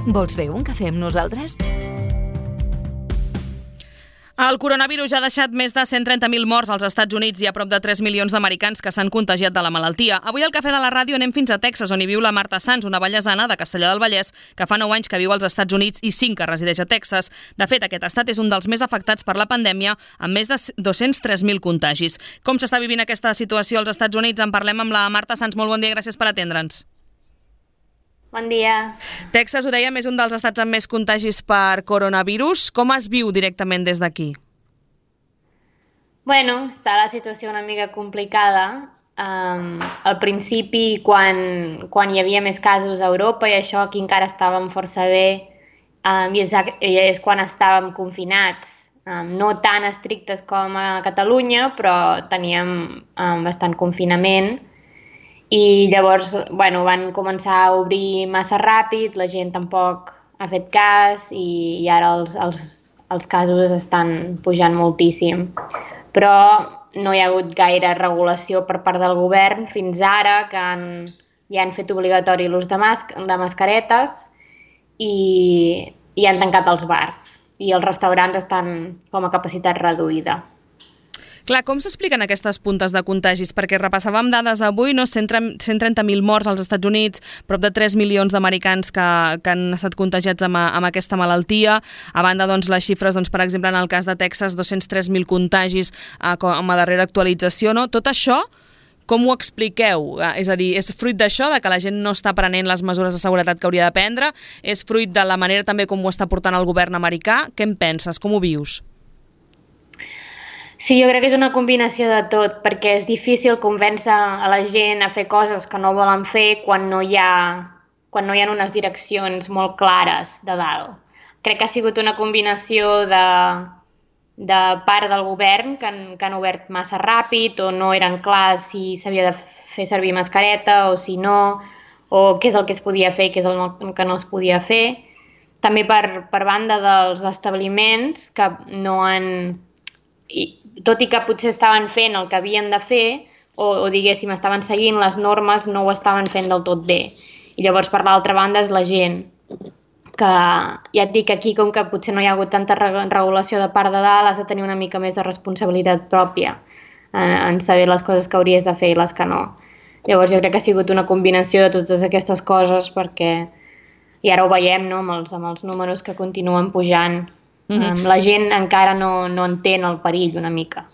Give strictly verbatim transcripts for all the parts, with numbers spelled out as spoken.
Vols fer un cafè amb nosaltres? El coronavirus ja ha deixat més de cent trenta mil morts als Estats Units i a prop de tres milions d'americans que s'han contagiat de la malaltia. Avui al Cafè de la Ràdio anem fins a Texas, on hi viu la Marta Sans, una vallesana de Castellar del Vallès, que fa nou anys que viu als Estats Units i cinc que resideix a Texas. De fet, aquest estat és un dels més afectats per la pandèmia, amb més de dos-cents tres mil contagis. Com s'està vivint aquesta situació als Estats Units? En parlem amb la Marta Sans. Molt bon dia, gràcies per atendre'ns. Bon dia. Texas, ho dèiem, és un dels estats amb més contagis per coronavirus. Com es viu directament des d'aquí? Bueno, està la situació una mica complicada. Um, al principi, quan, quan hi havia més casos a Europa i això, aquí encara estàvem força bé, um, i és, és quan estàvem confinats. Um, no tan estrictes com a Catalunya, però teníem um, bastant confinament. I llavors, bueno, van començar a obrir massa ràpid, la gent tampoc ha fet cas i, i ara els, els, els casos estan pujant moltíssim. Però no hi ha hagut gaire regulació per part del govern fins ara, que han, ja han fet obligatori l'ús de, mas, de mascaretes i, i han tancat els bars. I els restaurants estan com a capacitat reduïda. Clar, com s'expliquen aquestes puntes de contagis? Perquè repassàvem dades avui, no? cent trenta mil morts als Estats Units, prop de tres milions d'americans que, que han estat contagiats amb, amb aquesta malaltia. A banda, doncs, les xifres, doncs, per exemple, en el cas de Texas, dos-cents tres mil contagis eh, com a darrera actualització. No? Tot això, com ho expliqueu? Eh, és a dir, és fruit d'això, de que la gent no està prenent les mesures de seguretat que hauria de prendre? És fruit de la manera també com ho està portant el govern americà? Què en penses? Com ho vius? Sí, jo crec que és una combinació de tot, perquè és difícil convèncer a la gent a fer coses que no volen fer quan no hi ha, quan no hi ha unes direccions molt clares de dalt. Crec que ha sigut una combinació de, de part del govern que han, que han obert massa ràpid o no eren clars si s'havia de fer servir mascareta o si no, o què és el que es podia fer i què és el que no es podia fer. També per, per banda dels establiments que no han... I, tot i que potser estaven fent el que havien de fer o, o diguéssim estaven seguint les normes, no ho estaven fent del tot bé. I llavors per l'altra banda és la gent que, ja et dic, aquí com que potser no hi ha hagut tanta regulació de part de dalt, has de tenir una mica més de responsabilitat pròpia en, en saber les coses que hauries de fer i les que no. Llavors jo crec que ha sigut una combinació de totes aquestes coses perquè, i ara ho veiem, no?, amb els, amb els números que continuen pujant. Mm-hmm. La gent encara no, no entén el perill una mica.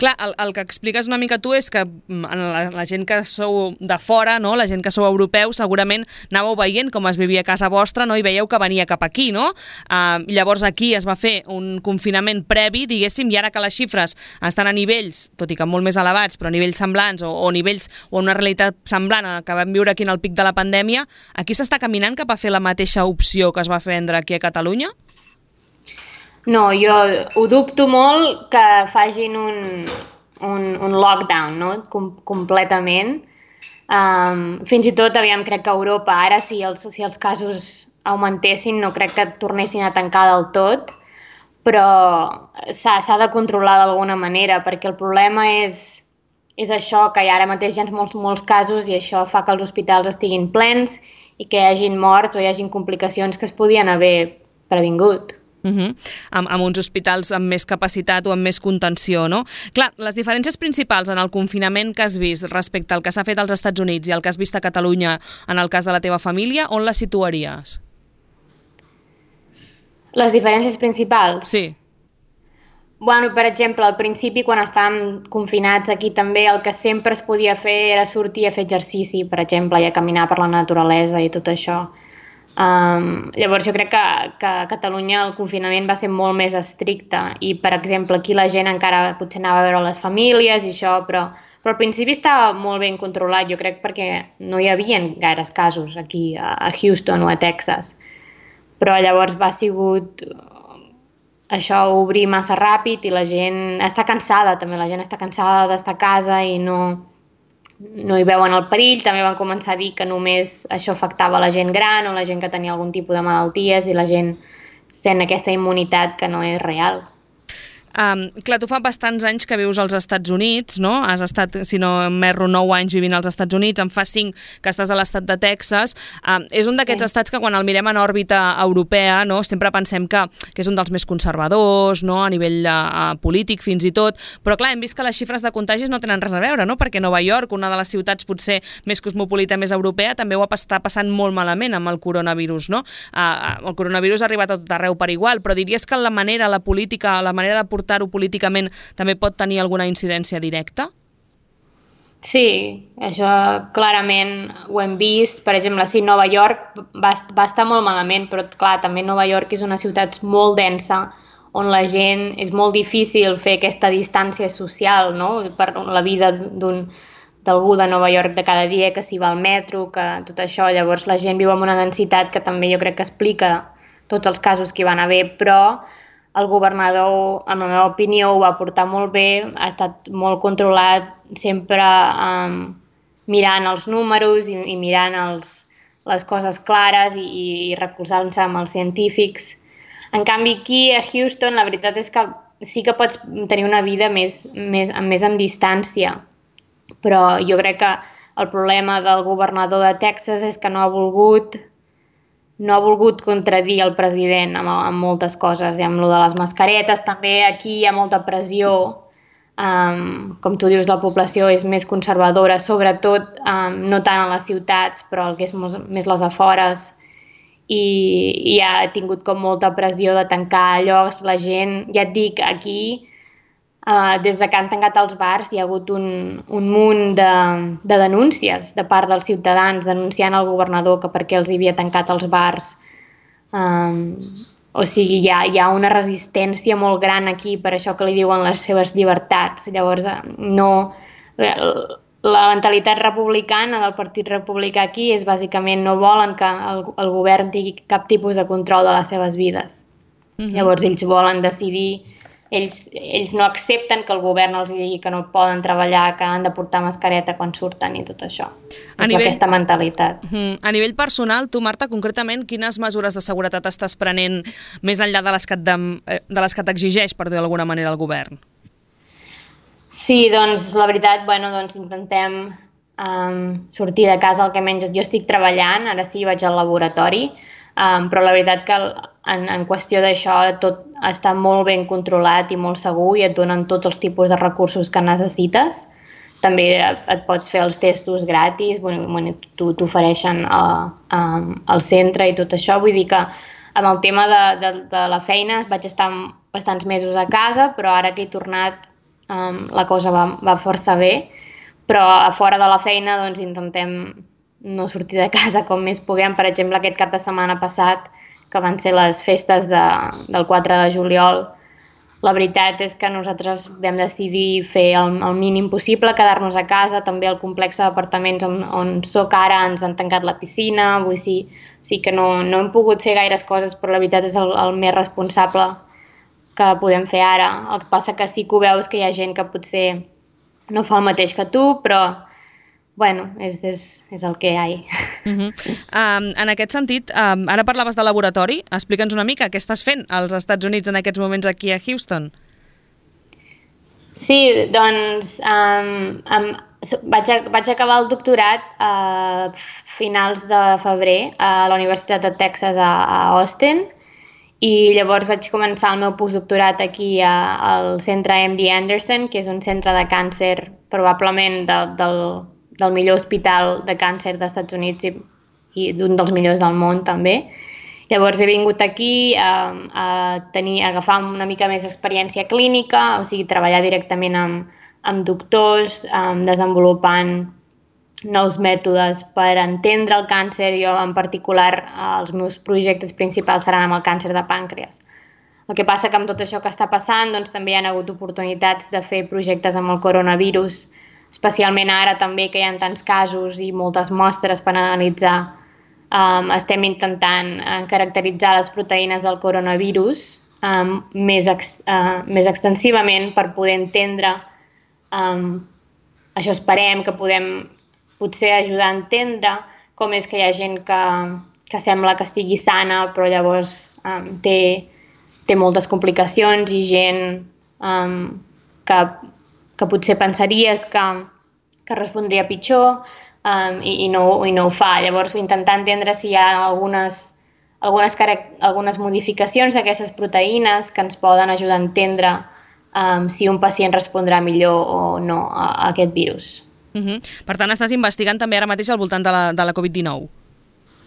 Clar, el, el que expliques una mica tu és que la, la gent que sou de fora, no? La gent que sou europeus, segurament anàveu veient com es vivia a casa vostra, no? I veieu que venia cap aquí, no? Uh, llavors aquí es va fer un confinament previ, diguéssim, i ara que les xifres estan a nivells, tot i que molt més elevats, però a nivells semblants o, o nivells o una realitat semblant a que vam viure aquí en el pic de la pandèmia, aquí s'està caminant cap a fer la mateixa opció que es va prendre aquí a Catalunya? No, jo ho dubto molt que facin un, un, un lockdown, no?, Com, completament. Um, fins i tot, aviam, crec que a Europa ara, si els, si els casos augmentessin, no crec que tornessin a tancar del tot, però s'ha de controlar d'alguna manera, perquè el problema és, és això, que ara mateix hi ha molts, molts casos i això fa que els hospitals estiguin plens i que hi hagin morts o hi hagin complicacions que es podien haver previngut. Uh-huh. Amb, amb uns hospitals amb més capacitat o amb més contenció, no? Clar, les diferències principals en el confinament que has vist respecte al que s'ha fet als Estats Units i al que has vist a Catalunya en el cas de la teva família, on les situaries? Les diferències principals? Sí. Bueno, per exemple, al principi, quan estàvem confinats aquí també, el que sempre es podia fer era sortir a fer exercici, per exemple, i a caminar per la naturalesa i tot això. Um, llavors jo crec que, que a Catalunya el confinament va ser molt més estricte i, per exemple, aquí la gent encara potser anava a veure les famílies i això, però, però al principi estava molt ben controlat, jo crec, perquè no hi havia gaires casos aquí a Houston o a Texas. Però llavors va sigut això, obrir massa ràpid i la gent està cansada també, la gent està cansada d'estar a casa i no... no hi veuen el perill. També van començar a dir que només això afectava la gent gran o la gent que tenia algun tipus de malalties i la gent sent aquesta immunitat que no és real. Um, clar, tu fa bastants anys que vius als Estats Units, no? Has estat, si no m'erro, nou anys vivint als Estats Units, en fa cinc que estàs a l'estat de Texas. Um, és un d'aquests sí. estats que quan el mirem en òrbita europea, no? Sempre pensem que, que és un dels més conservadors, no? A nivell uh, polític fins i tot, però clar, hem vist que les xifres de contagis no tenen res a veure, no? Perquè Nova York, una de les ciutats potser més cosmopolita, més europea, també ho està passant molt malament amb el coronavirus, no? Uh, el coronavirus ha arribat a tot arreu per igual, però diries que la manera, la política, la manera de portar-ho políticament també pot tenir alguna incidència directa? Sí, això clarament ho hem vist. Per exemple, sí, Nova York va, va estar molt malament, però clar, també Nova York és una ciutat molt densa, on la gent és molt difícil fer aquesta distància social, no? Per la vida d'un d'algú de Nova York de cada dia, que s'hi va al metro, que tot això. Llavors la gent viu amb una densitat que també jo crec que explica tots els casos que hi van haver, però el governador, en la meva opinió, ho va portar molt bé, ha estat molt controlat, sempre um, mirant els números i, i mirant els, les coses clares i, i recolzant-se amb els científics. En canvi, aquí a Houston, la veritat és que sí que pots tenir una vida més, més, més en distància, però jo crec que el problema del governador de Texas és que no ha volgut no ha volgut contradir el president amb, amb moltes coses, i amb lo de les mascaretes també aquí hi ha molta pressió, um, com tu dius, la població és més conservadora, sobretot um, no tant a les ciutats, però el que és més, més les afores, i, i ha tingut com molta pressió de tancar llocs, la gent, ja et dic, aquí Uh, des de que han tancat els bars hi ha hagut un, un munt de, de denúncies de part dels ciutadans denunciant al governador que per què els havia tancat els bars. Um, o sigui, hi ha, hi ha una resistència molt gran aquí per això que li diuen les seves llibertats. Llavors, no, la mentalitat republicana del Partit Republicà aquí és bàsicament no volen que el, el govern tingui cap tipus de control de les seves vides. Mm-hmm. Llavors, ells volen decidir. Ells, ells no accepten que el govern els digui que no poden treballar, que han de portar mascareta quan surten i tot això. A és nivell... aquesta mentalitat. A nivell personal, tu, Marta, concretament, quines mesures de seguretat estàs prenent més enllà de les que, de, de les que t'exigeix, per dir d'alguna manera, el govern? Sí, doncs, la veritat, bueno, doncs intentem um, sortir de casa el que menys. Jo estic treballant, ara sí vaig al laboratori, um, però la veritat que en, en qüestió d'això tot està molt ben controlat i molt segur i et donen tots els tipus de recursos que necessites. També et pots fer els testos gratis, bueno, t'ofereixen al centre i tot això. Vull dir que amb el tema de, de, de la feina vaig estar bastants mesos a casa, però ara que he tornat um, la cosa va, va força bé. Però a fora de la feina doncs, intentem no sortir de casa com més puguem. Per exemple, aquest cap de setmana passat, que van ser les festes de, del quatre de juliol, la veritat és que nosaltres vam decidir fer el, el mínim possible, quedar-nos a casa. També al complex d'apartaments on, on soc ara ens han tancat la piscina, vull dir, sí que no, no hem pogut fer gaires coses, però la veritat és el, el més responsable que podem fer ara. El que passa que sí que ho veus que hi ha gent que potser no fa el mateix que tu, però bueno, és, és, és el que hi ha. Uh-huh. um, en aquest sentit, um, ara parlaves de laboratori, explica'ns una mica què estàs fent als Estats Units en aquests moments aquí a Houston. Sí, doncs um, um, vaig, a, vaig acabar el doctorat a finals de febrer a la Universitat de Texas a, a Austin, i llavors vaig començar el meu postdoctorat aquí a, al centre M D Anderson, que és un centre de càncer probablement de, del del millor hospital de càncer dels Estats Units i, i d'un dels millors del món també. Llavors he vingut aquí a, a, tenir, a agafar una mica més experiència clínica, o sigui, treballar directament amb, amb doctors, um, desenvolupant nous mètodes per entendre el càncer. Jo en particular els meus projectes principals seran amb el càncer de pàncreas. El que passa que amb tot això que està passant doncs, també hi ha hagut oportunitats de fer projectes amb el coronavirus, especialment ara també que hi ha tants casos i moltes mostres per analitzar. Um, estem intentant uh, caracteritzar les proteïnes del coronavirus um, més, ex, uh, més extensivament per poder entendre, um, això esperem que podem potser ajudar a entendre com és que hi ha gent que, que sembla que estigui sana però llavors um, té, té moltes complicacions i gent um, que, que potser pensaries que, que respondria pitjor um, i, i, no, i no ho fa. Llavors, intentar entendre si hi ha algunes, algunes, algunes modificacions d'aquestes proteïnes que ens poden ajudar a entendre um, si un pacient respondrà millor o no a, a aquest virus. Uh-huh. Per tant, estàs investigant també ara mateix al voltant de la, de la covid dinou?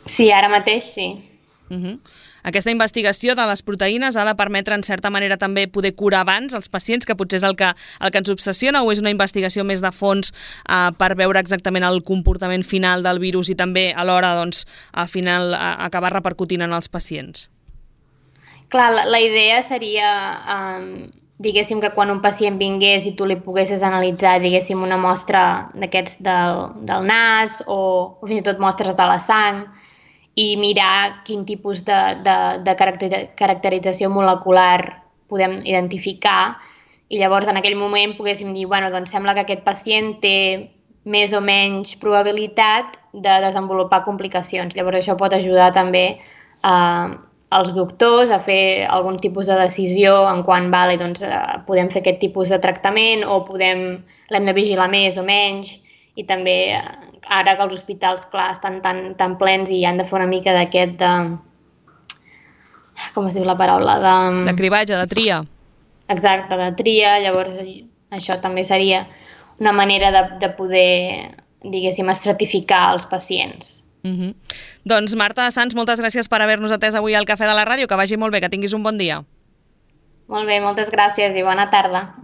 Sí, ara mateix sí. Uh-huh. Aquesta investigació de les proteïnes ha de permetre, en certa manera, també poder curar abans els pacients, que potser és el que, el que ens obsessiona, o és una investigació més de fons eh, per veure exactament el comportament final del virus i també alhora, doncs, al final a, acabar repercutint en els pacients? Clar, la, la idea seria, um, diguéssim, que quan un pacient vingués i tu li poguessis analitzar, diguéssim, una mostra d'aquests del, del nas o, o fins i tot mostres de la sang, i mirar quin tipus de, de, de caracter, caracterització molecular podem identificar, i llavors en aquell moment poguéssim dir, bueno, doncs sembla que aquest pacient té més o menys probabilitat de desenvolupar complicacions. Llavors això pot ajudar també eh, als doctors a fer algun tipus de decisió en quan vale, doncs, eh, podem fer aquest tipus de tractament o podem l'hem de vigilar més o menys. I també ara que els hospitals, clar, estan tan, tan plens i han de fer una mica d'aquest de... com es diu la paraula? De, de cribatge, de tria. Exacte, de tria. Llavors això també seria una manera de, de poder, diguéssim, estratificar els pacients. Uh-huh. Doncs Marta Sans, moltes gràcies per haver-nos atès avui al Cafè de la Ràdio. Que vagi molt bé, que tinguis un bon dia. Molt bé, moltes gràcies i bona tarda.